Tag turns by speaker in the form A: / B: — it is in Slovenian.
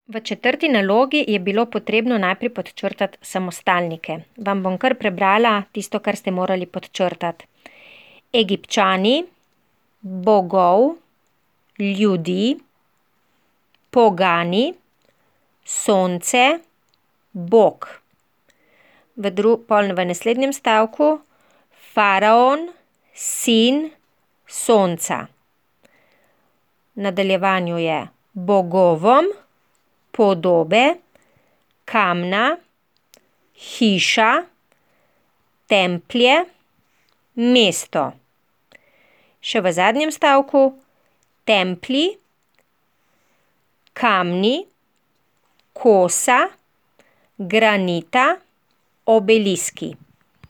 A: V četrti nalogi je bilo potrebno najprej podčrtati samostalnike. Vam bom kar prebrala tisto, kar ste morali podčrtati. Egipčani, bogov, ljudi, pogani, sonce, bog. V naslednjem stavku faraon, sin sonca. V nadaljevanju je bogovom, podobe, kamna, hiša, templje, mesto. Še v zadnjem stavku templji, kamni, kosa, granita, obeliski.